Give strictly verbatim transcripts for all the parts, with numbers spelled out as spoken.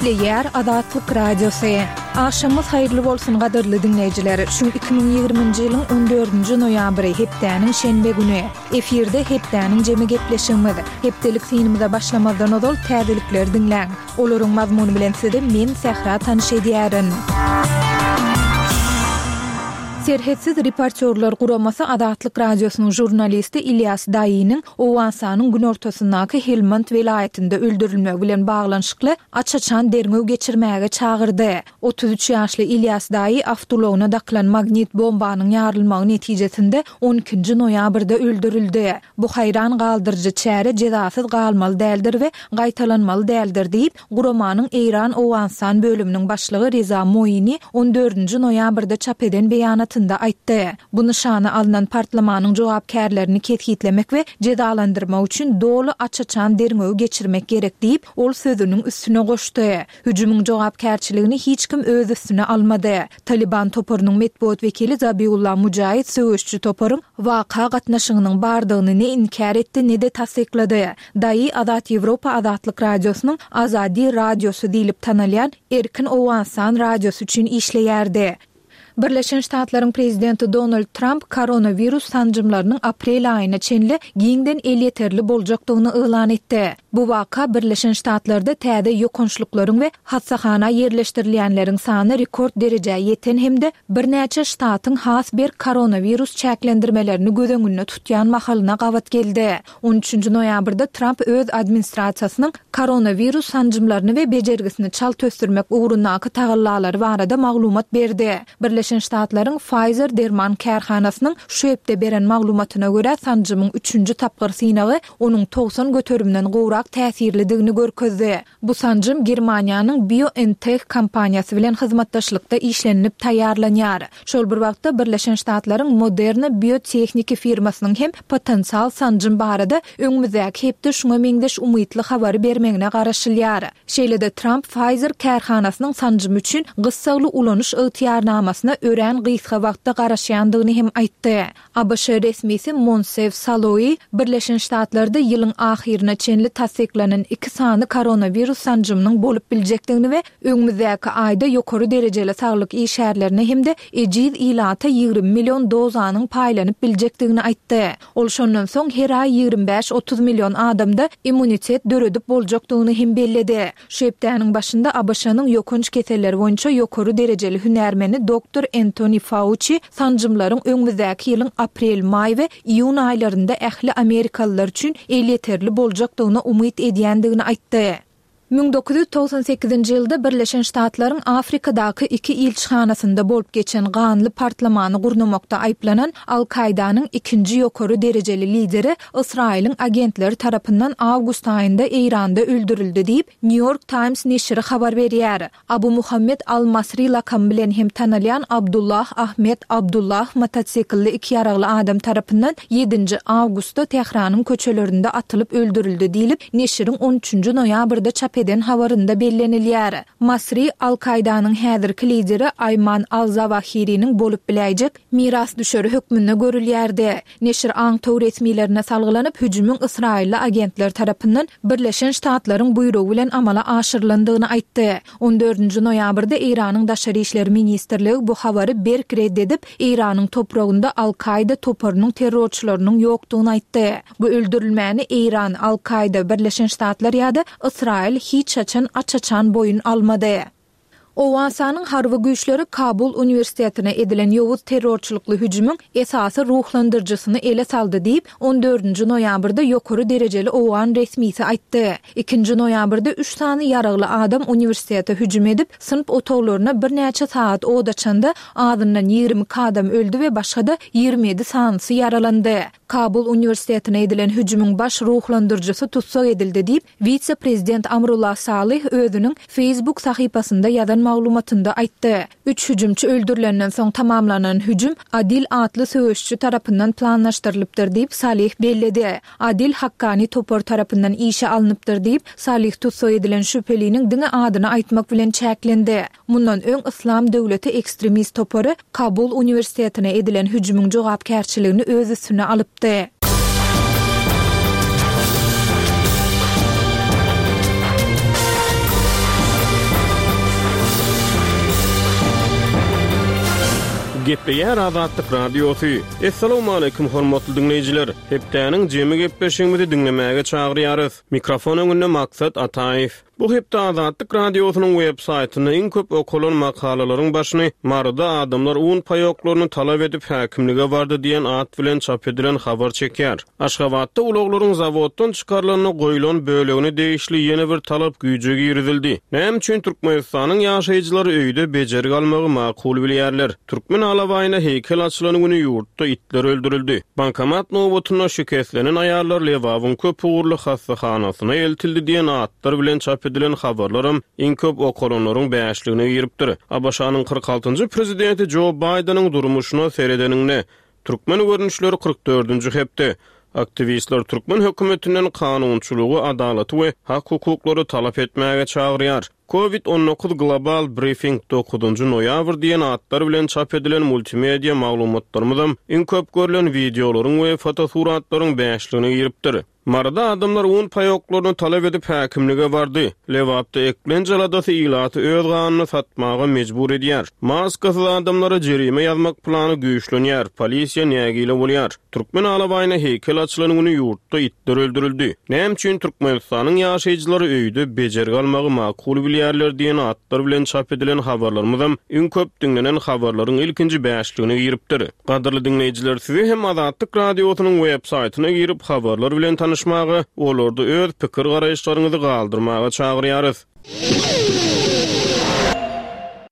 Gepleýär Azatlyk Radiosy. Agşamyňyz haýyrly bolsun gadyrly diňleýjiler. Şu iki müň ýigriminji ýylyň on dördünji noýabry, hepdäniň şenbe güni. Efirde hepdäniň jemi gepleşigimiz. Hepdelik synymyza başlamazdan ozal täzelikleri diňläň. Olaryň mazmuny bilen sizi men Sähra tanyş edýärin. Serhetsiz reportýorlar guramasy Azatlyk Radiosynyň žurnalisti Ilýas Daýynyň Owganystanyň günortasyndaky Helmand welaýatynda öldürilmegi bilen baglanyşykly aç-açan derňew geçirmäge çagyrdy. Otuz üç ýaşly Ilýas Daýy awtoulagyna dakylan magnit bombanyň ýarylmagy netijesinde on ikinji noýabrda öldürildi. Bu haýran galdyryjy çäre jezasyz galmaly däldir we gaýtalanmaly däldir diýip, guramanyň Eýran-Owganystan bölüminiň başlygy Reza Moini on dördünji noýabrda çap eden beýanatynda aýtdy. Bu nyşana alnan partlamanyň jogapkärlerini kesgitlemek we jezalandyrmak üçin doly aç-açan derňewi geçirmek gerek diýip, ol sözüniň üstüne goşdy. Hüjümiň jogapkärçiligini hiç kim öz üstüne almady. Talyban toparynyň metbugat wekili Zabiullah Mujaýid söweşçi toparyň waka gatnaşygynyň bardygyny ne inkär etdi, ne-de tassyklady. Daýy Azat Ýewropa Azatlyk Radiosynyň Azadi radiosy diýlip tanalýan Erkin Owganystan radiosy üçin işleýärdi. Birleşen Ştatlaryň prezidenti Donald Tramp koronawirus sanjymlarynyň aprel aýyna çenli giňden elýeterli boljakdygyny yglan etdi. Bu waka Birleşen Ştatlarda täze ýokançlyklaryň we hassahana ýerleşdirilýänleriň sany rekord derejä ýeten hem-de birnäçe ştatyň has berk koronawirus çäklendirmelerini göz öňünde tutýan mahalyna gabat geldi. On üçünji noýabrda Tramp öz administrasiýasynyň koronawirus sanjymlaryny we bejergisini çalt ösdürmek ugrundaky tagallalary barada maglumat berdi. Birleşen Ştatlaryň Pfizer derman kärhanasynyň şu hepde beren maglumatyna görä, sanjymyň üçünji tapgyr synagy onuň togsan göterimden gowrak täsirlidigini görkezdi. Bu sanjym Germaniýanyň BioNTech kompaniýasy bilen hyzmatdaşlykda işlenilip taýýarlanýar. Şol bir wagtda Birleşen Ştatlaryň Moderna biotehniki firmasynyň hem potensial sanjym barada öňümizdäki hepde şuňa meňzeş umytly habary bermegine garaşylýar. Şeýle-de Tramp Pfizer kärhanasynyň sanjymy üçin gyssagly ulanyş ygtyýarnamasyna örän gysga wagtda garaşýandygyny hem aýtdy. A B Ş resmisi Monsef Saloýi Birleşen Ştatlarda ýylyň ahyryna çenli tassyklanan iki sany koronawirus sanjymynyň bolup biljekdigini we öňümizdäki aýda ýokary derejeli saglyk işgärlerine hem-de ejiz ilata ýigrimi million dozanyň paýlanyp biljekdigini aýtdy. Ol şondan soň her aý ýigrimi bäş-otuz million adamda immunitet döredip boljakdygyny hem belledi. Şu hepdäniň başynda A B Ş-nyň ýokanç keselleri boýunça ýokary derejeli hünärmeni doktor Entoni Fauçi sanjymlaryň öňümizdäki ýylyň aprel, maý we iýun aýlarynda ähli amerikalylar üçin elýeterli boljakdygyna umyt edýändigini aýtdy. Müň dokuz ýüz togsan sekizinji ýylda Birleşen Ştatlaryň Afrikadaky iki ilçihanasynda bolup geçen ganly partlamany gurnamakda aýyplanan Al-Kaýdanyň ikinji ýokary derejeli lideri Ysraýylyň agentleri tarapyndan awgust aýynda Eýranda öldürildi diýip, New York Times neşiri habar berýär. Abu Muhammed al-Masri lakamy bilen hem tanalýan Abdullah Ahmed Abdullah motosiklli iki ýaragly adam tarapyndan ýedinji awgustda Tähranyň köçelerinde atylyp öldürildi diýlip, neşiriň on üçünji noýabrda çap eden habarynda bellenilýär. Masri Al-Kaýdanyň häzirki lideri Aýman al-Zawahiriniň bolup biläýjek mirasdüşeri hökmünde görülýärdi. Neşir aňtaw resmilerine salgylanyp, hüjümiň ysraýylly agentler tarapyndan Birleşen Ştatlaryň buýrugy bilen amala aşyrylandygyny aýtdy. On dördünji noýabrda Eýranyň Daşary işler ministrligi bu habary berk red edip, Eýranyň topragynda Al-Kaýda toparynyň terrorçylarynyň ýokdugyny aýtdy. Bu öldürilmäni Eýran, Al-Kaýda, Birleşen Ştatlar ýa-da Ysraýyl hiç haçan aç-açan boýun almady. Owganystanyň harby güýçleri Kabul uniwersitetine edilen ýowuz terrorçylykly hüjümiň esasy ruhlandyryjysyny ele saldy diýip, on dördünji noýabrda ýokary derejeli owgan resmisi aýtdy. Ikinji noýabrda üç sany ýaragly adam uniwersitete hüjüm edip, synp otaglaryna birnäçe sagat od açanda, azyndan ýigrimi iki adam öldi we başga-da ýigrimi ýedi sanysy ýaralandy. Kabul uniwersitetine edilen hüjümiň baş ruhlandyryjysy tussag edildi diýip, wise-prezident Amrullah Salyh özüniň Facebook sahypasynda ýazan maglumatynda aýtdy. Üç hüjümçi öldürilenden soň tamamlanan hüjüm Adil atly söweşçi tarapyndan planlaşdyrylypdyr diýip, Salyh belledi. Adil Hakkani topar tarapyndan işe alnypdyr diýip, Salyh tussag edilen şübheliniň diňe adyny aýtmak bilen çäklendi. Mundan öň Yslam döwleti ekstremist topary Kabul uniwersitetine edilen hüjümiň jogapkärçiligini öz üstüne alypdy. Gepleýär Azatlyk Radiosy. Essalawmaleýkim hormatly diňleýjiler. Hepdäniň jemi gepleşigimizi diňlemäge çagyrýarys. Mikrofon öňünde Maksat Ataýew. Bu hepde Azatlyk Radiosynyň web saýtynda iň köp okalan makalalaryň başyny Maryda adamlar un paýoklaryny talap edip häkimlige bardy diýen at bilen çap edilen habar çekýär. Aşgabatda ulaglaryň zawoddan çykarylanda goýlan bölegine degişli ýene bir talap güýje girizildi. Näme üçin Türkmenistanyň ýaşaýjylary öýde bejergi almagy makul bilýärler? Türkmen alabaýyna heýkel açylan güni ýurtda itler öldürildi. Bankomat nobatynda şikeslenen aýallar Lebabyň köp ugurly hassahanasyna eltildi diýen atlar bilen çap edilen habarlaram iň köp okalanlaryň bäşligine giripdir. ABŞ-nyň kyrk altynjy prezidenti Jo Baýdeniň durmuşyna seredeninde türkmen görnüşleri kyrk dördünji hepde aktiwistler türkmen hökümetinden kanunçylygy, adalaty we hak hukuklary talap etmäge çagyrýar. Covid on dokuz Global Briefing dokuzynjy noýabr diýen atlar bilen çap edilen multimedia maglumatlarymyzam iň köp görülen wideolaryň we fotosuratlaryň bäşligine giripdir. Maryda adamlar un paýoklaryny talap edip häkimlige bardy. Lebapda eklenç aladasy ilaty öz ganyny satmaga mejbur edýär. Maskasyz adamlara jerime ýazmak plany güýçlenýär. Polisiýa nägile bolýar. Türkmen alabaýyna heýkel açylan güni ýurtda itler öldürildi. Näme üçin Türkmenistanyň ýaşaýjylary öýde bejergi almagy makul bilýärler diýen atlar bilen çap edilen habarlarymyzam iň köp diňlenen habarlaryň ilkinji bäşligine giripdir. Gadyrly diňleýjiler, sizi hem Azatlyk Radiosynyň web saýtyna girip habarlar bilen tanyşmaga, olarda öz pikir garaýyşlaryňyzy galdyrmaga çagyrýarys.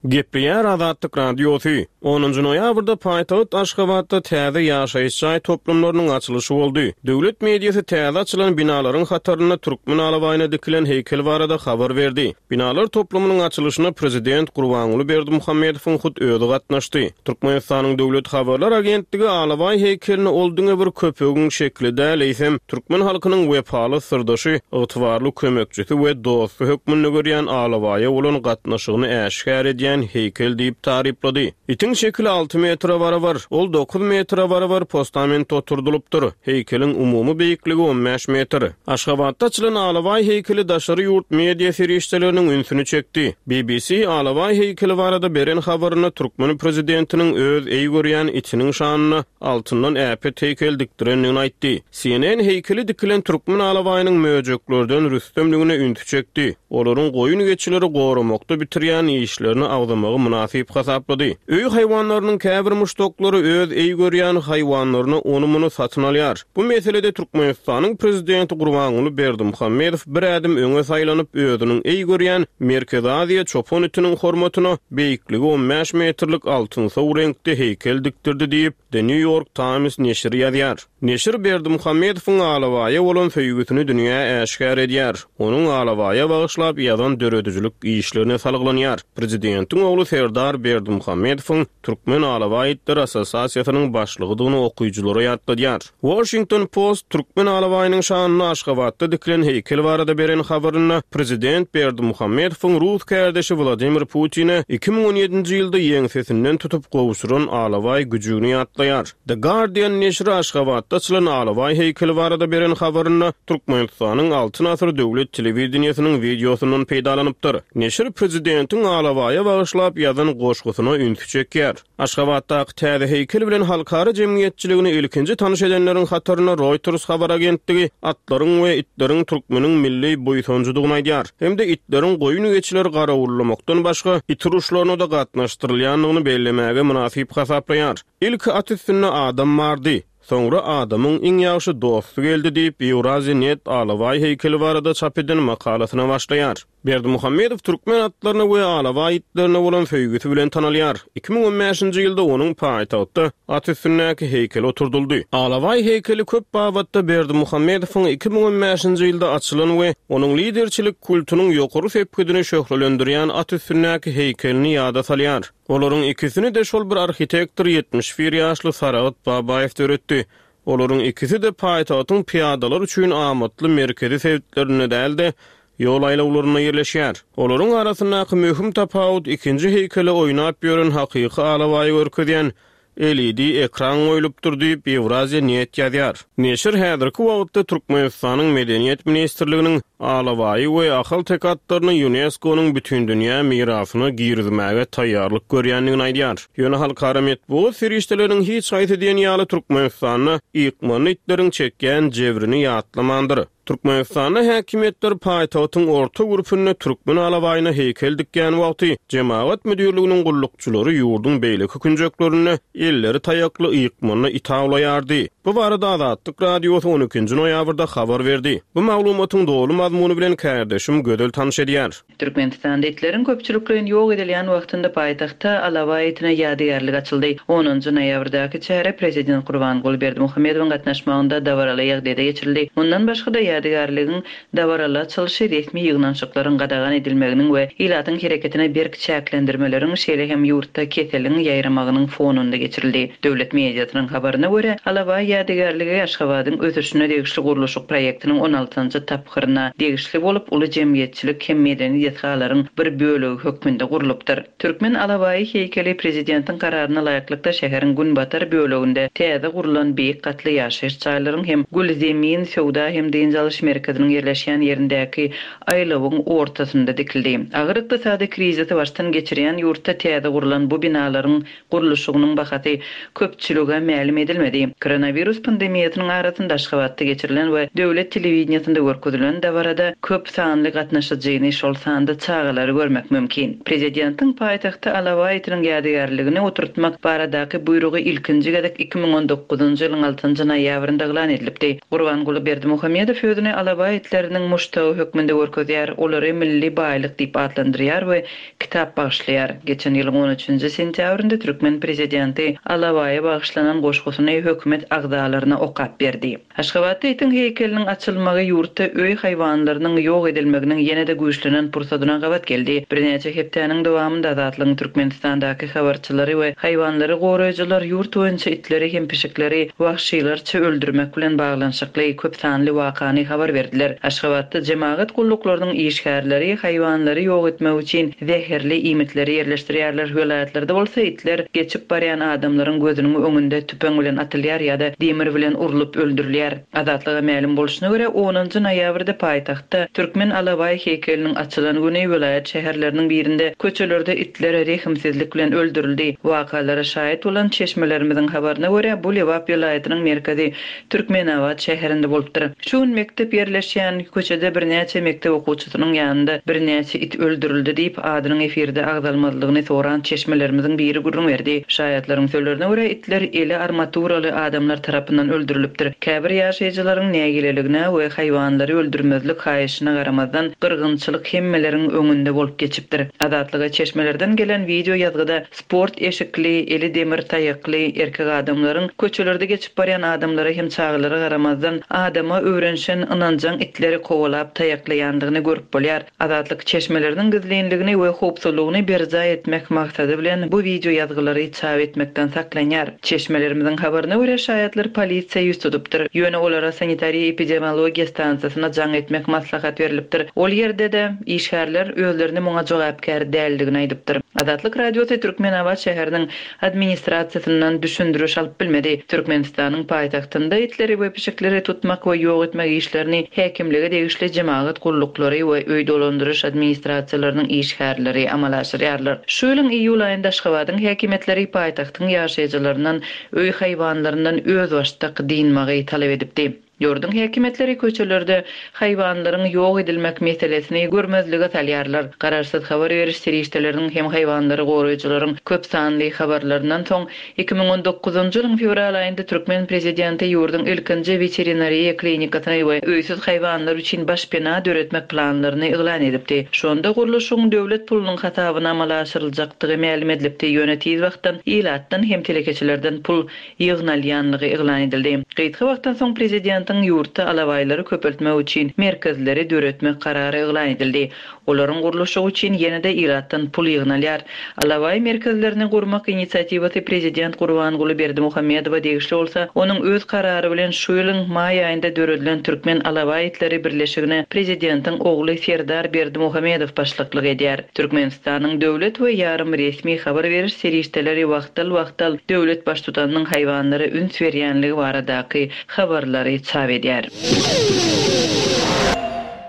Gepleýär Azatlyk Radiosy. Onunjy noýabrda paýtagt Aşgabatda täze ýaşaýyş jaý toplumlarynyň açylyşy boldy. Döwlet mediasy täze açylan binalaryň hatarynda türkmen alabaýyna dikilen heýkel barada habar berdi. Binalar toplumynyň açylyşyna prezident Gurbanguly Berdimuhamedowyň hut özi gatnaşdy. Türkmenistanyň Döwlet habarlar agentligi alabaý heýkelini ol diňe bir köpegiň şekli däl, eýsem türkmen halkynyň wepaly syrdaşy, ygtybarly kömekçisi we dosty hökmünde görýän alabaýa bolan gatnaşygyny äşgär edýän heýkel diýip taryplady. Itiň şekili alty metre barabar, ol dokuz metre barabar postament oturdylypdyr. Heýkeliň umumy beýikligi on bäş metr. Aşgabatda açylan alabaý heýkeli daşary ýurt media serişdeleriniň ünsüni çekdi. B B C alabaý heýkeli barada beren habarynda türkmen prezidentiniň öz eý görýän itiniň şanyna altyndan äpet heýkel dikdirendigini aýtdy. C N N heýkeli dikilen türkmen alabaýynyň möjeklerden rüstemligine ünsi çekdi. Olaryň goýun geçileri goramakda bitirýän işlerini agzamagy mynasyp hasaplady. Öý haýwanlarynyň käbir muşdaklary öz eý görýän haýwanlaryny ony muny satyn alýar. Bu meselede Türkmenistanyň prezidenti Gurbanguly Berdimuhamedow bir ädim öňe saýlanyp özüniň eý görýän Merkezi Aziýa çopan itiniň hormatyna beýikligi on bäş metrlik altynsow reňkde heýkel dikdirdi diýip The New York Times neşiri ýazýar. Neşir Berdimuhamedowyň alabaýa bolan söýgüsini dünýä äşgär edýär. Onuň alabaýa bagyşlap ýazan döredijilik işlerine salgylanýar. Prezidentiň ogly Serdar Berdimuhamedowyň Türkmen Alabaý itleri assosiasiýasynyň başlygydygyny okyjylara ýatladýar. Washington Post Türkmen alabaýynyň şanyna Aşgabatda dikilen heýkel barada beren habarynda prezident Berdimuhamedowyň rus kärdeşi Wladimir Putine iki müň on ýedinji ýylda ýeňsesinden tutup gowşuran alabaý güjügini ýatlaýar. The Guardian neşiri Aşgabatda açylan alabaý heýkeli barada beren habarynda Türkmenistanyň Altyn Asyr döwlet telewideniýesiniň wideosyndan peýdalanypdyr. Neşir prezidentiň alabaýa bagyşlap ýazan goşgusyna ünsi çekýär. Aşgabatdaky täze heýkel bilen halkara jemgyýetçiligini ilkinji tanyş edenleriň hatarynda Reuters habar agentligi atlaryň we itleriň türkmeniň milli buýsanjydygyny aýdýar. Hem-de itleriň goýun geçileri garawullamakdan başga it uruşlaryna da gatnaşdyrylýandygyny bellemäge mynasyp hasaplaýar. Ilki at üstünde adam bardy. Soňra adamyň iň ýagşy dosty geldi diýip Eurasia Net alabaý heýkeli barada çap eden makalasyna başlaýar. Berdimuhamedow türkmen atlaryna we alabaý itlerine bolan söýgüsi bilen tanalýar. iki müň on bäşinji ýylda onuň paýtagtda at üstündäki heýkeli oturdyldy. Alabaý heýkeli köp babatda Berdimuhamedowyň iki müň on bäşinji ýylda açylan we onuň liderçilik kultunyň ýokary sepgidini şöhlelendirýän at üstündäki heýkelini ýada salýar. Olaryň ikisini de şol bir arhitektor ýetmiş bir ýaşly Saragat Babaýew döretdi. Olaryň ikisi de paýtagtyň piýadalar üçin amatly merkezi sebitlerinde däl-de, ýol aýlawlarynda ýerleşýär. Olaryň arasyndaky möhüm tapawut ikinji heýkele oýnap ýören hakyky alabaýy görkezýän L E D ekran goýlupdyr diýip, Ýewraziýa net ýazýar. Neşir häzirki wagtda Türkmenistanyň Medeniýet ministrliginiň alabaýy we ahalteke atlaryny Ýunesko-nyň Bütindünýä mirasyna girizmäge taýýarlyk görýändigini aýdýar. Ýöne halkara metbugat serişdeleriniň hiç haýsy diýen ýaly Türkmenistanda ykmanly itleriň çekýän jebrini ýatlamandyr. Türkmenistanda häkimiýetler paýtagtyň orta gürpünde türkmen alabaýyna heýkel dikýän wagty jemagat müdirliginiň gullukçylary ýurduň beýleki künjeklerinde elleri taýakly ykmanly it awlaýardy. Bu barada Azatlyk Radiosy on ikinji noýabrda habar berdi. Bu maglumatyň doly mazmuny bilen kärdeşim Gözel tanyş edýär. Türkmenistanda itleriň köpçülikleýin ýok edilýän wagtynda paýtagtda alabaý itine ýadygärlik açyldy. Onunjy noýabrdaky çäre prezident Gurbanguly Berdimuhamedowyň gatnaşmagynda dabaraly ýagdaýda geçirildi. Mundan başga-da ýadygärligiň dabaraly açylyşy resmi ýygnanyşyklaryň gadagan edilmeginiň we ilatyň hereketine berk çäklendirmeleriň, şeýle hem ýurtda keseliň ýaýramagynyň fonunda geçirildi. Döwlet mediasynyň habaryna görä, alabaý ýadygärligi Aşgabadyň ösüşine degişli gurluşyk proýektiniň on altynjy tapgyryna degişli bolup, uly jemgyýetçilik hem medeni desgalaryň bir bölegi hökmünde gurlupdyr. Türkmen alabaýy heýkeli prezidentiň kararyna laýyklykda şäheriň günbatar böleginde täze gurlan beýik gatly ýaşaýyş jaýlaryň hem Gülzemin söwda hem dynç alyş merkeziniň ýerleşýän ýerindäki aýlawyň ortasynda dikildi. Agyr ykdysady krizisi başdan geçirýän ýurtda täze gurlan bu binalaryň gurluşygynyň bahasy köpçülige mälim edilmedi. Koronawirus pandemiýasynyň arasynda Aşgabatda geçirilen we döwlet telewideniýasynda görkezilen dabarada köp sanly gatnaşyjyny, şol sanda çagalary görmek mümkin. Prezidentiň paýtagtda alabaý itiniň ýadygärligini oturtmak baradaky buýrugy ilkinji gezek iki müň on dokuzynjy ýylyň altynjy noýabrynda yglan edilipdi. Gurbanguly Berdimuhamedow özüni alabaý itleriniň muşdagy hökmünde görkezýär, olary milli baýlyk diýip atlandyrýar we kitap bagyşlaýar. Geçen ýylyň on üçünji sentýabrynda türkmen prezidenti alabaýa bagyşlanan goşgusyny hökümet agzalaryna okap berdi. Aşgabatda itiň heýkeliniň açylmagy ýurtda öý haýwanlarynyň ýok edilmeginiň ýene-de güýçlenen pursadyna gabat geldi. Birnäçe hepdäniň dowamynda Azatlygyň Türkmenistandaky habarçylary we haýwanlary goraýjylar ýurt boýunça itleri hem pişikleri wahşylarça öldürmek bilen baglanyşykly köp sanly wakany habar berdiler. Aşgabatda jemagat gulluklarynyň işgärleri haýwanlary ýok etmek üçin zäherli iýmitleri ýerleşdirýärler. Welaýatlarda bolsa itler geçip barýan adamlaryň gözüniň öňünde tüpeň bilen atylýar ýa-da demir bilen urlup öldürilýär. Azatlyga mälim bolşuna görä onunjy noýabrda paýtagtda türkmen alabaý heýkeliniň açylan güni welaýat şäherleriniň birinde köçelerde itler rehimsizlik bilen öldürildi. Wakalara şaýat bolan çeşmelerimiziň habaryna görä bu Lebap welaýatynyň merkezi Türkmenabat şäherinde bolupdyr. Şu gün mekdep ýerleşýän köçede birnäçe mekdep okuwçysynyň ýanynda birnäçe it öldürildi diýip adynyň efirde agzalmazlygyny soran çeşmelerimiziň biri gürrüň berdi. Şaýatlaryň sözlerine görä itler eli armaturaly adamlar tarapyndan öldürilipdir. Käbir ýaşaýjylaryň nägileligine we haýwanlary öldürmezlik haýyşyna garamazdan gyrgynçylyk hemmeleriň öňünde bolup geçipdir. Azatlyga çeşmelerden gelen video ýazgyda sport eşikli, eli demir taýakly erkek adamlaryň köçelerde geçip barýan adamlara hem çagalara garamazdan adama öwrenşen ynanjaň itleri kowalap taýaklaýandygyny görüp bolýar. Azatlyk çeşmeleriniň gizlinligini we howpsuzlygyny berjaý etmek maksady bilen bu video ýazgylary çap etmekden saklanýar. Çeşmelerimiziň habaryna görä şaýatlar polisiýa ýüz tutupdyr. Ýöne olara sanitariýa epidemiologiýa stansiýasyna jaň etmek maslahat berilipdir. Ol ýerde-de işgärler özlerini muňa jogapkär däldigini aýdypdyr. Azatlyk Radiosy Türkmenabat şäheriniň administrasiýasyndan düşündiriş alyp bilmedi. Türkmenistanyň paýtagtynda itleri we pişikleri tutmak we ýok etmek işlerini häkimlige degişli jemagat gulluklary we öý dolandyryş administrasiýalarynyň işgärleri amala aşyrýarlar. Şu ýylyň iýul aýynda Aşgabadyň häkimiýetleri paýtagtyň ýaşaýjylaryndan öý haýwanlaryndan özbaşdak dynmagy talap edipdi. Ýurduň häkimiýetleri köçelerde haýwanlaryň ýok edilmek meselesini görmezlige salýarlar. Garaşsyz habar beriş serişdeleriniň hem haýwanlary goraýjylaryň köp sanly habarlaryndan soň iki müň on dokuzynjy ýylyň fewral aýynda türkmen prezidenti ýurduň ilkinji veterinariýa klinikasyny we öýsüz haýwanlar üçin başpena döretmek planlaryny yglan edipdi. Şonda gurluşygyň döwlet pulunyň hasabyna amala aşyryljakdygy mälim edilipdi. Ýöne tiz wagtdan ilatdan hem telekeçilerden pul ýygnalýanlygy yglan edildi. Gysga wagtdan soň prezidentiň ilatyň ýurtda alabaýlary köpeltmek üçin merkezleri döretmek karary yglan edildi. Olaryň gurluşygy üçin ýene-de ilatdan pul ýygnalýar. Alabaý merkezlerini gurmak inisiatiwasy prezident Gurbanguly Berdimuhamedowa degişli bolsa, onuň öz karary bilen şu ýylyň maý aýynda döredilen Türkmen alabaý itleri birleşigine prezidentiň ogly Serdar Berdimuhamedow başlyklyk edýär. Türkmenistanyň döwlet we ýarym resmi habar beriş serişdeleri wagtal-wagtal döwlet baştutanynyň haýwanlara üns berýänligi baradaky habarlary çap edýär.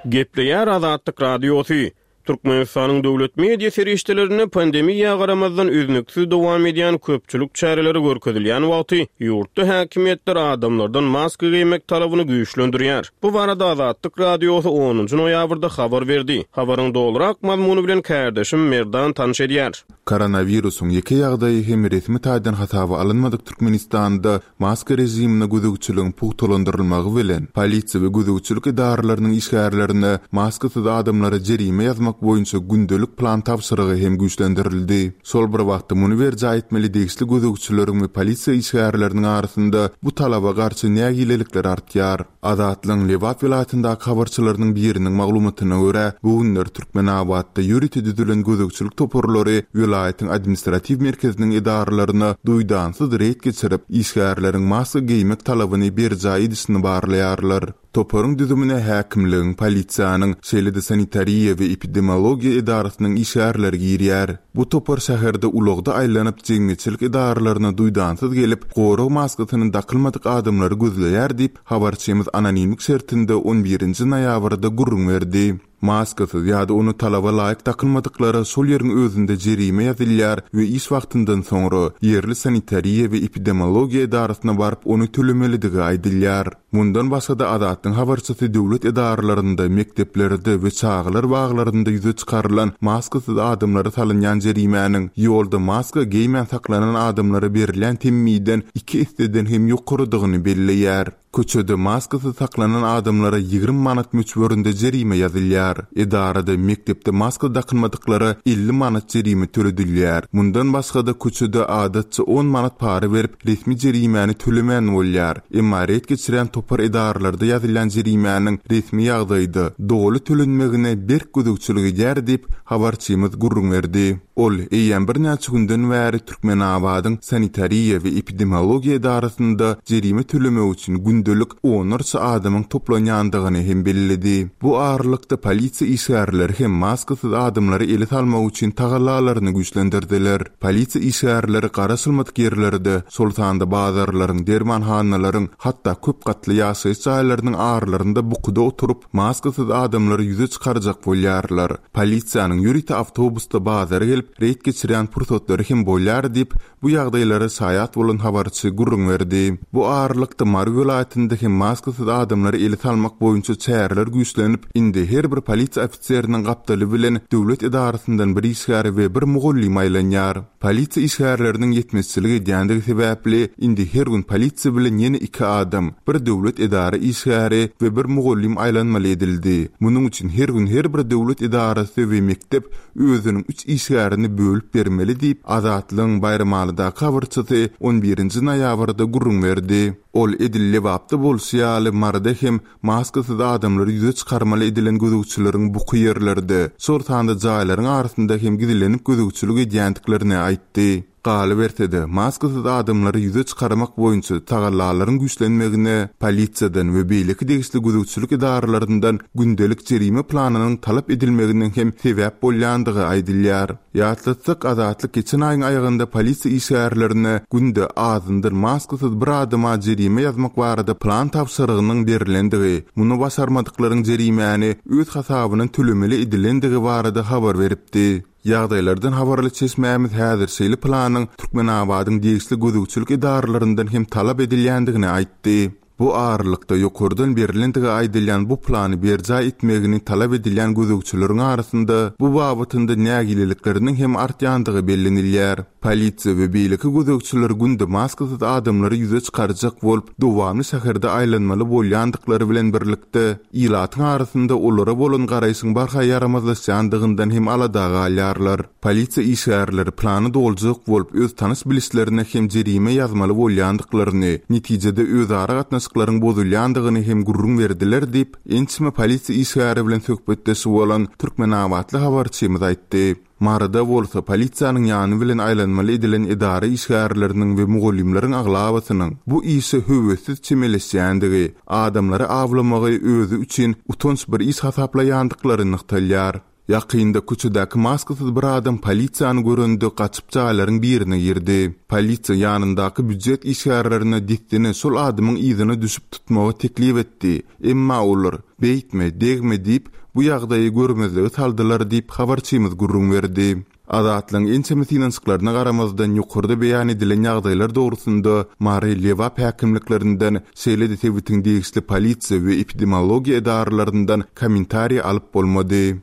Gepleýär Azatlyk Radiosy. Türkmenistanyň döwlet media serişdelerinde pandemiýa garamazdan üznüksiz dowam edýän köpçülik çäreleri görkezilýän wagty ýurtda häkimiýetler adamlardan maska geýmek talabyny güýçlendirýär. Bu barada Azatlyk Radiosy onunjy noýabrda habar berdi. Habaryň dolurak mazmuny bilen kärdeşim Merdan tanyş edýär. Koronawirusyň ýeke ýagdaýy hem resmi taýdan hasaba alynmadyk Türkmenistanda maska režimine gözegçiligiň pugtalandyrylmagy bilen polisiýa we gözegçilik edaralarynyň işgärlerine maskasyz adamlara jerime ýazmak boýunça gündelik plan tabşyrygy hem güýçlendirildi. Şol bir wagtda muny berjaý etmeli degişli gözegçileriň we polisiýa işgärleriniň arasynda bu talaba garşy nägilelikler artýar. Azatlygyň Lebap welaýatyndaky habarçylarynyň biriniň maglumatyna görä, bu günler Türkmenabatda ýörite düzülen gözegçilik toparlary welaýatyň administratiw merkeziniň edaralaryna duýdansyz reýd geçirip, işgärleriň maska geýmek talabyny berjaý edişini barlaýarlar. Toparyň düzümine häkimligiň, polisiýanyň, şeýle-de sanitariýa we epidemiologiýa edarasynyň işgärleri girýär. Bu topar şäherde ulagda aýlanyp, jemgyýetçilik edaralaryna duýdansyz gelip, gorag maskasyny dakylmadyk adamlary gözleýär diýip, habarçymyz anonimlik şertinde on birinji noýabrda gürrüň berdi. Maskasyz ýa-da ony talaba laýyk dakylmadyklara şol ýeriň özünde jerime ýazylýar we iş wagtyndan soňra ýerli sanitariýa we epidemiologiýa edarasyna baryp ony tölemelidigi aýdylýar. Mundan başga-da Azatlygyň habarçysy döwlet edaralarynda, mekdeplerde we çagalar baglarynda ýüze çykarylan maskasyz adamlara salynýan jerimäniň ýolda maska geýmän saklanan adamlara berilýän temmiden iki esseden hem ýokarydygyny belleýär. Köçede maskasyz saklanan adamlara ýigrimi manat möçberinde jerime ýazylýar. Edarada, mekdepde maska dakylmadyklara elli manat jerime töledilýär. Mundan başga-da köçede adatça on manat para berip resmi jerimäni tölemän bolýar. Emma ret geçirýän topar edaralarda ýazylýan jerimäniň resmi ýagdaýda doly tölenmegine berk gözegçilik edýär diýip habarçymyz gürrüň berdi. Ol eýýäm birnäçe günden bäri Türkmenabadyň sanitariýa we epidemiologiýa edarasynda jerime tölemek üçin gündelik onlarça adamyň toplanýandygyny hem belledi. Bu aralykda polisiýa işgärleri hem maskasyz adamlary ele salmak üçin tagallalaryny güýçlendirdiler. Polisiýa işgärleri garaşylmadyk ýerlerde, şol sanda bazarlaryň, dermanhanalaryň, hatda köp gatly ýaşaýyş jaýlarynyň aralarynda bukuda oturyp, maskasyz adamlary ýüze çykarjak bolýarlar. Polisiýanyň ýörite awtobusda bazara gelip reýd geçirýän pursatlary hem bolýar diýip, bu ýagdaýlara şaýat bolan habarçy gürrüň berdi. Bu aralykda Mary welaýatynda hem maskasyz adamlary ele salmak boýunça çäreler güýçlenip, indi her bir polisiýa ofiseriniň gapdaly bilen döwlet edarasyndan bir işgär we bir mugallym aýlanýar. Polisiýa işgärleriniň ýetmezçilik edýändigi sebäpli indi her gün polisiýa bilen ýene iki adam, bir döwlet edara işgäri we bir mugallym aýlanmaly edildi. Munuň üçin her gün her bir döwlet edarasy we mekdep özüniň üç işgärini bölüp bermeli diýip, Azatlygyň Baýramalydaky habarçysy on birinji noýabrda gürrüň berdi. Ol edil Lebapda bolşy ýaly Maryda hem maskasyz adamlary ýüze çykarmaly edilen gözegçileriň buky ýerlerde, şol sanda jaýlaryň arasynda hem gizlenip gözegçilik edýändiklerini aýtdy. Galyberse-de, maskasyz adamlary ýüze çykarmak boýunça tagallalaryň güýçlenmegine polisiýadan we beýleki degişli gözegçilik edaralaryndan gündelik jerime planynyň talap edilmeginiň hem sebäp bolýandygy aýdylýar. Ýatlatsak, Azatlyk geçen aýyň aýagynda polisiýa işgärlerine günde azyndan maskasyz bir adama jerime ýazmak barada plan tabşyrygynyň berilendigi, muny başarmadyklaryň jerimäni öz hasabyndan tölemeli edilendigi barada habar beripdi. Ýagdaýlardan habarly çeşmämiz häzir şeýle planyň Türkmenabadyň degişli gözegçilik edaralaryndan hem talap edilýändigini aýtdy. Bu aralykda ýokardan berilendigi aýdylýan bu plany berjaý etmegini talap edilýän gözegçileriň arasynda bu babatynda nägilelikleriniň hem artýandygy bellenilýär. Polisiýa we beýleki gözegçiler günde maskasyz adamlary ýüze çykarjak bolup, dowamly şäherde aýlanmaly bolýandyklary bilen birlikde ilatyň arasynda olara bolan garaýşyň barha ýaramazlaşýandygyndan hem alada galýarlar. Polisiýa işgärleri plany doljak bolup, öz tanyş bilişlerine hem jerime ýazmaly bolýandyklaryny, netijede özara gatnaşyklaryň gatnaşyklaryň bozulýandygyny hem gürrüň berdiler diýip, ençeme polisiýa işgäri bilen söhbetdeş bolan türkmenabatly habarçymyz aýtdy. Maryda bolsa polisiýanyň ýany bilen aýlanmaly edilen edara işgärleriniň we mugallymlaryň aglabasynyň bu işe höwessiz çemeleşýändigi, adamlary awlamagy özi üçin utanç bir iş hasaplaýandyklary nygtalýar. Ýakynda köçedäki maskasyz bir adam polisiýany görende gaçyp jaýlaryň birine girdi. Polisiýa ýanyndaky býujet işgärlerine dessine şol adamyň yzyna düşüp tutmagy teklip etdi. Emma olar "Beýtme, degme" diýip, bu ýagdaýy görmezlige saldylar diýip habarçymyz gürrüň berdi. Azatlygyň ençeme synanyşyklaryna garamazdan ýokarda beýan edilen ýagdaýlar dogrusynda Mary Lebap häkimliklerinden, şeýle-de sebitiň degişli polisiýa we epidemiologiýa edaralaryndan kommentariý alyp bolmady.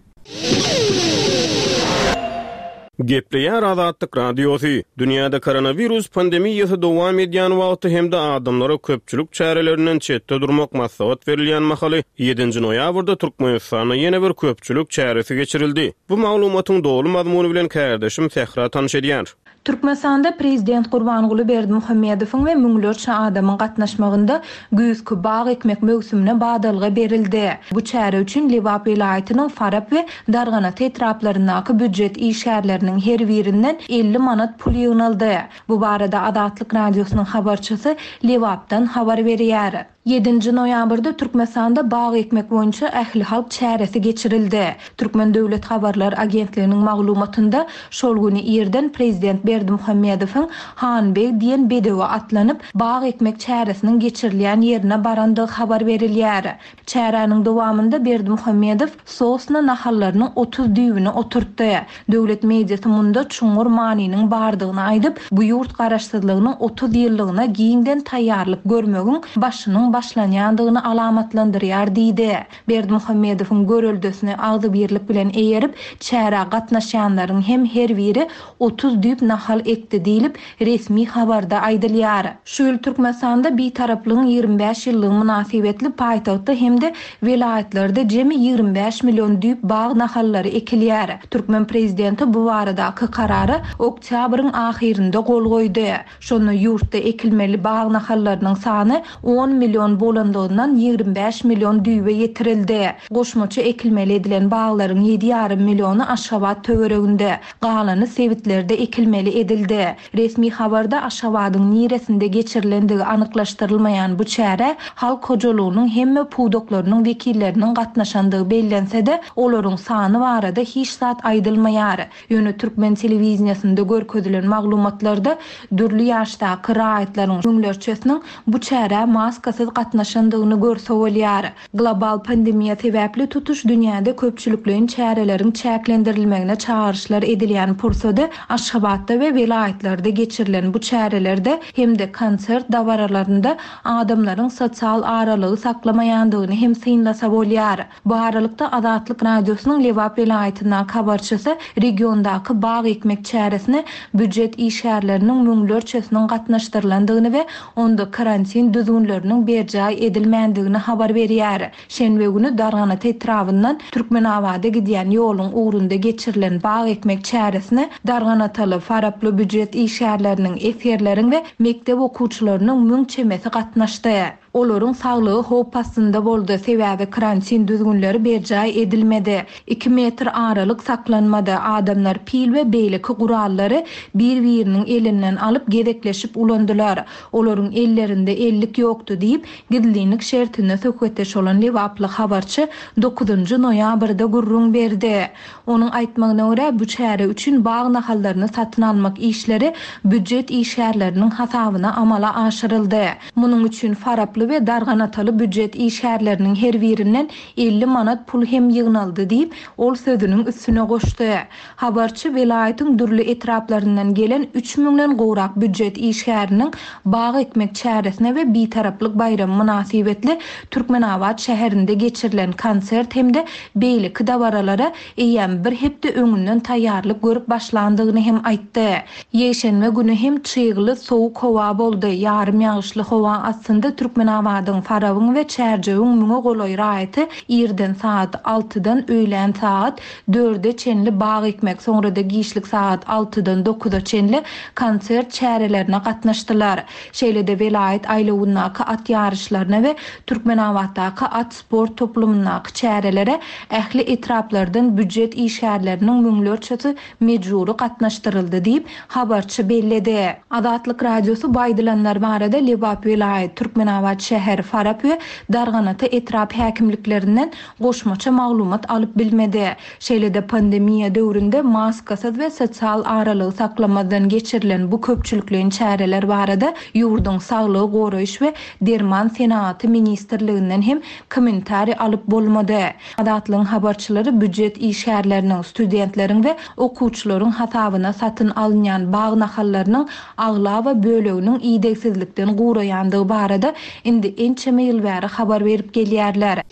Gepleýär Azatlyk Radiosy. Dünýäde koronawirus pandemiýasy dowam edýän wagty hem-de adamlara köpçülik çärelerinden çetde durmak maslahat berilýän mahaly ýedinji noýabrda Türkmenistanda ýene bir köpçülik çäresi geçirildi. Bu maglumatyň doly mazmuny bilen kärdeşim Sähra tanyş edýär. Türkmenistanda Prezident Gurbanguly Berdimuhamedowyň we müňlerçe adamyň gatnaşmagynda güýzki bag ekmek möwsümine badalga berildi. Bu çäre üçin Lebap welaýatynyň Farap we Darganata etraplaryndaky býujet işgärleriniň her birinden elli manat pul ýygnaldy. Bu barada Azatlyk Radiosynyň habarçysy Lebapdan habar berýär. Ýedinji noýabrda Türkmenistanda bag ekmek boýunça ähli halk çäresi geçirildi. Türkmen Döwlet Habarlar Agentliginiň maglumatynda şol güni irden Prezident Berdimuhamedowyň Hanbeg diýen bedewe atlanyp bag ekmek çäresiniň geçirilýän ýerine barandygy habar berilýär. Çäräniň dowamynda Berdimuhamedow sosna nahallarynyň otuz düýbüni oturtdy. Döwlet mediasy munda çuňňur manynyň bardygyny aýdyp, bu ýurt garaşsyzlygynyň otuz ýyllygyna giňden taýýarlyk görmegiň başynyň başlanýandygyny alamatlandyrýar diýdi. Berdimuhamedowyň göreldesini agzybirlik bilen eýerip, çärä gatnaşýanlaryň hem her biri otuz düýp nahal ekdi diýlip resmi habarda aýdylýar. Şu ýyl Türkmenistanda Bitaraplygyň ýigrimi bäş ýyllygy mynasybetli paýtagtda hem-de welaýatlarda jemi ýigrimi bäş million düýp bag nahallary ekilýär. Türkmen prezidenti bu baradaky karara oktýabryň ahyrynda gol goýdy. Şonda ýurtda ekilmeli bag nahallarynyň sany on million bolandygyndan ýigrimi bäş million düýbe ýetirildi. Goşmaça ekilmeli edilen baglaryň ýedi ýarym milliony Aşgabat töwereginde, galany sebitlerde ekilmeli edildi. Resmi habarda Aşgabadyň niresinde geçirilendigi anyklaşdyrylmaýan bu çäre halk hojalygynyň hemme pudaklarynyň wekilleriniň gatnaşandygy bellense-de, olaryň sany barada hiç zat aýdylmaýar. Ýöne Türkmen telewiziýasynda görkezilen maglumatlarda dürli ýaşdaky raýatlaryň müňlerçesiniň bu çärä maskasyz gatnaşandygyny görse bolýar. Global pandemiýa sebäpli tutuş dünýäde köpçülikleýin çäreleriň çäklendirilmegine çağrışlar edilýän pursady Aşgabatda we welaýatlarda geçirilen bu çärelerde hem-de konsert dabaralarynda adamlaryň sosial aralygy saklamaýandygyny hem synlasa bolýar. Bu aralykda Azatlyk Radiosynyň Lebap welaýatyndaky habarçysy regiondaky bag ekmek çäresine býujet işgärleriniň müňlerçesiniň gatnaşdyrylandygyny we onda karantin düzgünleriniň berjaý edilmändigini habar berýär. Şenbe günü Darganata etrabyndan Türkmenabada gidýän ýoluň ugrunda geçirilen bag ekmek çäresine Darganataly, Faraply býujet işgärleriniň, esgerleriň we mekdep okuwçylarynyň müň çemesi gatnaşdy. Olaryň saglygy howp astynda boldy, sebäbi karantin düzgünleri berjaý edilmedi. Iki metr aralyk saklanmady. Adamlar pil we beýleki gurallary bir-biriniň elinden alyp gezekleşip ulandylar. Olaryň ellerinde ellik ýokdy diýip, gizlinlik şertinde söhbetdeş bolan Lebaply habarçy dokuzynjy noýabrda gürrüň berdi. Onuň aýtmagyna görä, bu çäre üçin bag nahallaryny satyn almak işleri býujet işgärleriniň hasabyna amala aşyryldy. Munuň üçin Faraply we Darganataly býujet işgärleriniň her birinden elli manat pul hem ýygnaldy diýip, ol sözüniň üstüne goşdy. Habarçy welaýatyň dürli etraplaryndan gelen üç müňden gowrak býujet işgäriniň bag ekmek çäresine we Bitaraplyk baýramy mynasybetli Türkmenabat şäherinde geçirilen konsert hem-de beýleki dabaralara eýýäm bir hepde öňünden taýýarlyk görüp başlandygyny hem aýtdy. Ýekşenbe günü hem çygly sowuk howa boldy. Ýarym ýagyşly howa astynda Türkmen Türkmenabadyň, Farabyň we Çärjewiň müňe golaý raýaty irden sagat altydan öýlän sagat dörde çenli bag ekmek, soňra-da giçlik sagat altydan dokuza çenli konsert çärelerine gatnaşdylar. Şeýle-de welaýat aýlawyndaky at ýaryşlaryna we Türkmenabatdaky at sport toplumyndaky çärelere ähli etraplardan býujet işgärleriniň müňlerçesi mejbury gatnaşdyryldy diýip, habarçy belledi. Azatlyk Radiosy bu aýdylanlar barada Lebap welaýat, Türkmenabat şäher, Farap we Darganata etrap häkimliklerinden goşmaça maglumat alyp bilmedi. Şeýle-de pandemiýa döwründe maskasyz we sosial aralygy saklamazdan geçirilen bu köpçülikleýin çäreler barada ýurduň Saglygy goraýyş we derman senagaty ministrliginden hem kommentariý alyp bolmady. Azatlygyň habarçylary býujet işgärleriniň, studentleriň we okuwçylaryň hasabyna satyn alynýan bag nahallarynyň aglaba böleginiň idegsizlikden guraýandygy barada indi ençeme ýyl bäri habar berip gelýärler.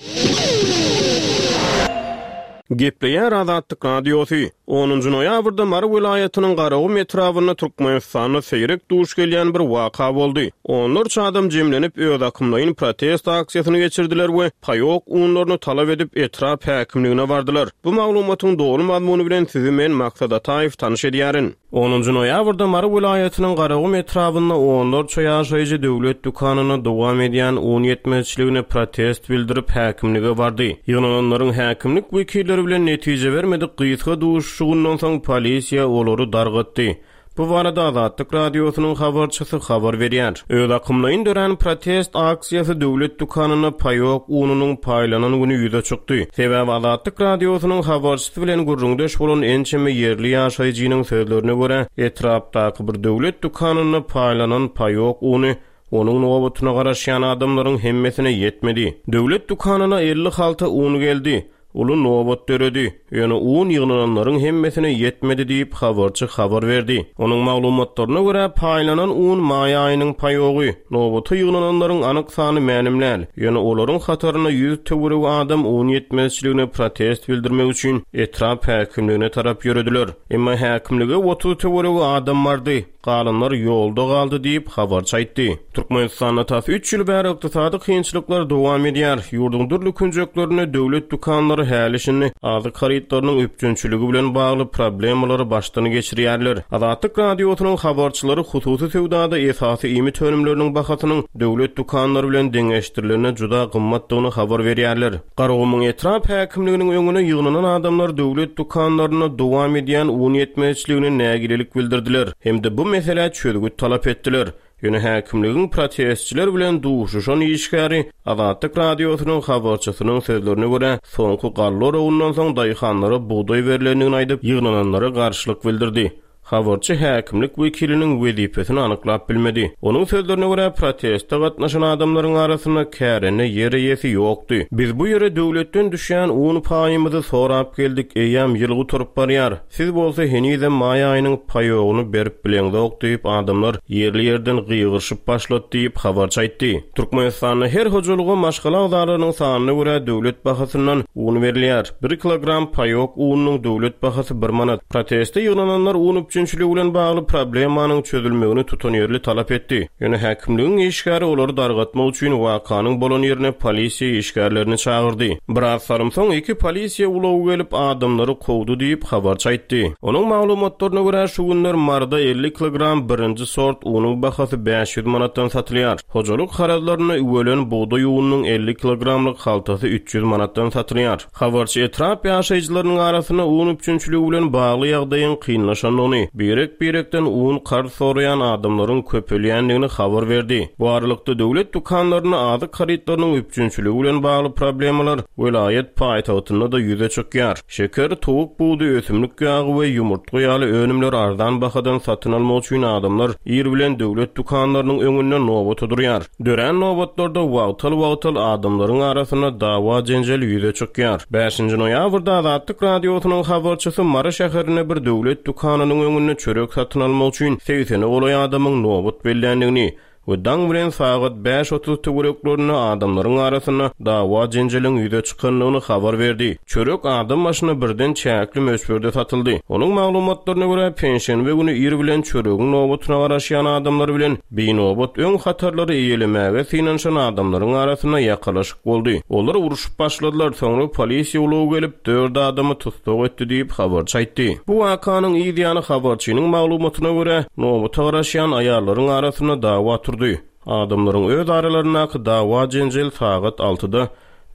Gepleýär Azatlyk Radiosy. Onunjy noýabrda Mary welaýatynyň Garagum etrabynda Türkmenistanda seýrek duş gelýän bir waka boldy. Onlarça adam jemlenip öz akymlaýyn protest aksiýasyny geçirdiler we paýok unlaryny talap edip etrap häkimligine bardylar. Bu maglumatyň doly mazmuny bilen sizi men Maksat Ataýew tanyş edýärin. Onunjy noýabrda Mary welaýatynyň Garagum etrabynda onlarça ýaşaýjy döwlet dükanyna dowam edýän un ýetmezçiligine protest bildirip häkimlige bardy. Ýygnananlaryň häkimlik wekilleri bilen netije bermedik gysga duşuşygyndan soň polisiýa olary dargatdy. Bu barada Azatlyk Radiosynyň habarçysy habar berýär. Öz akymlaýyn dörän protest aksiýasy döwlet dükanyna paýok ununyň paýlanan güni ýüze çykdy. Sebäbi Azatlyk Radiosynyň habarçysy bilen gürrüňdeş bolan ençeme ýerli ýaşaýjynyň sözlerine görä, etrapdaky bir döwlet dükanynda paýlanan paýok uny onuň nobatyna garaşýan adamlaryň hemmesine ýetmedi. Döwlet dükanyna elli halta un geldi. Uly nobat döredi. Ýöne un ýygnananlaryň hemmesine ýetmedi diýip habarçy habar berdi. Onuň maglumatlaryna görä paýlanan un maý aýynyň paýogy. Nobata ýygnananlaryň anyk sany mälim däl. Ýöne olaryň hataryna ýüz töweregi adam un ýetmezçiligine protest bildirmek üçin etrap häkimligine tarap ýörediler. Emma häkimlige otuz töweregi adam bardy. Galanlar ýolda galdy diýip habarçy aýtdy. Türkmenistanda tas üç ýyl bäri ykdysady kynçylyklar dowam edýär. Ýurduň dürli künjeklerinde döwlet dükanlary häli şindi azyk harytlarynyň üpjünçiligi bilen bagly problemalary başdan geçirýärler. Azatlyk Radiosynyň habarçylary hususy söwdada esasy iýmit önümleriniň bahasynyň döwlet dükanlary bilen deňeşdirilende juda gymmatdygyny habar berýärler. Garagumuň etrap häkimliginiň öňüne ýygnanan adamlar döwlet dükanlaryna dowam edýän un ýetmezçiligine nägilelik bildirdiler. Hem-de bu meselä çözgüt talap etdiler. Ýöne häkimligiň protestçiler bilen duşuşan işgäri Azatlyk Radiosynyň habarçysynyň sözlerine görä, soňky galla oragyndan soň daýhanlara bugdaý berlendigini aýdyp, ýygnananlara garşylyk bildirdi. Habarçy häkimlik wekiliniň wezipesini anyklap bilmedi. Onuň sözlerine görä, proteste gatnaşan adamlaryň arasynda kärende ýer eýesi ýokdy. Biz bu ýere döwletden düşýän un paýymyzy sorap geldik, eýýäm ýyl gutaryp barýar. Siz bolsa henizem maý aýynyň paýogyny berip bileňzok diýip adamlar ýerli ýerden gygyryşyp başlady diýip habarçy aýtdy. Türkmenistanda her hojalyga maşgala agzalarynyň sanyna görä döwlet bahasyndan un berilýär. Bir kilogram paýok ununyň döwlet bahasy bir manat. Proteste ýygnananlar un üpjünçiligi bilen bagly problemanyň çözülmegini tutanýerli talap etdi. Ýöne häkimligiň işgäri olary dargatmak üçin wakanyň bolan ýerine polisiýa işgärlerini çagyrdy. Biraz salym soň iki polisiýa ulagy gelip adamlary kowdy diýip habarçy aýtdy. Onuň maglumatlaryna görä şu günler Maryda elli kilogram birinji sort unuň bahasy bäş ýüz manatdan satylýar. Hojalyk harytlaryna üwelen bugdaý ununyň elli kilogramlyk haltasy üç ýüz manatdan satylýar. Habarçy etrap ýaşaýjylarynyň arasynda un üpjünçiligi bilen bagly ýagdaýyň kynlaşandygyny, birek-birekden un karz soraýan adamlaryň köpelýändigini habar berdi. Bu aralykda döwlet dükanlarynda azyk harytlarynyň üpjünçiligi bilen bagly problemalar welaýat paýtagtynda da ýüze çykýar. Şeker, towuk budy, ösümlik ýagy we ýumurtga ýaly önümler arzan bahadan satyn almak üçin adamlar ir bilen döwlet dükanlarynyň öňünde nobata durýar. Dörän nobatlarda wagtal-wagtal adamlaryň arasynda dawa jenjel ýüze çykýar. Bäşinji noýabrda Azatlyk Radiosynyň habarçysy Mary şäherinde bir döwlet dükanynyň öňünde çörek satyn almak üçin segsene golaý adamyň nobat belländigini, we daň bilen sagat bäş otuz töwereklerinde adamlaryň arasynda dawa-jenjeliň ýüze çykandygyny habar berdi. Çörek adam başyna birden çäkli möçberde satyldy. Onuň maglumatlaryna görä, penşenbe güni ir bilen çöregiň nobatyna garaşýan adamlar bilen binobat öň hatarlary eýelemäge synanyşan adamlaryň arasynda ýakalaşyk boldy. Olar urşup başladylar, soňra polisiýa ulagy gelip, dört adamy tussag etdi diýip, habarçy aýtdy. Bu wakanyň yz ýany habarçynyň maglumatyna görä, nobata garaşýan aýallaryň arasynda dawa turdy. Adamlaryň öz aralaryndaky dawa-jenjel sagat altyda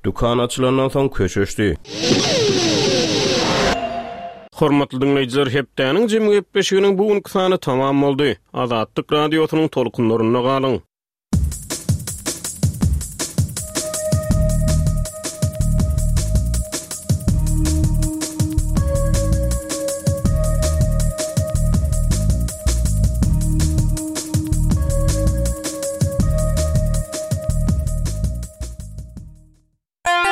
dükan açylandan soň köşeşdi. Hormatly diňleýjiler, hepdäniň jemi gepleşiginiň bu günki sany tamam boldy. Azatlyk Radiosynyň tolkunlarynda galyň!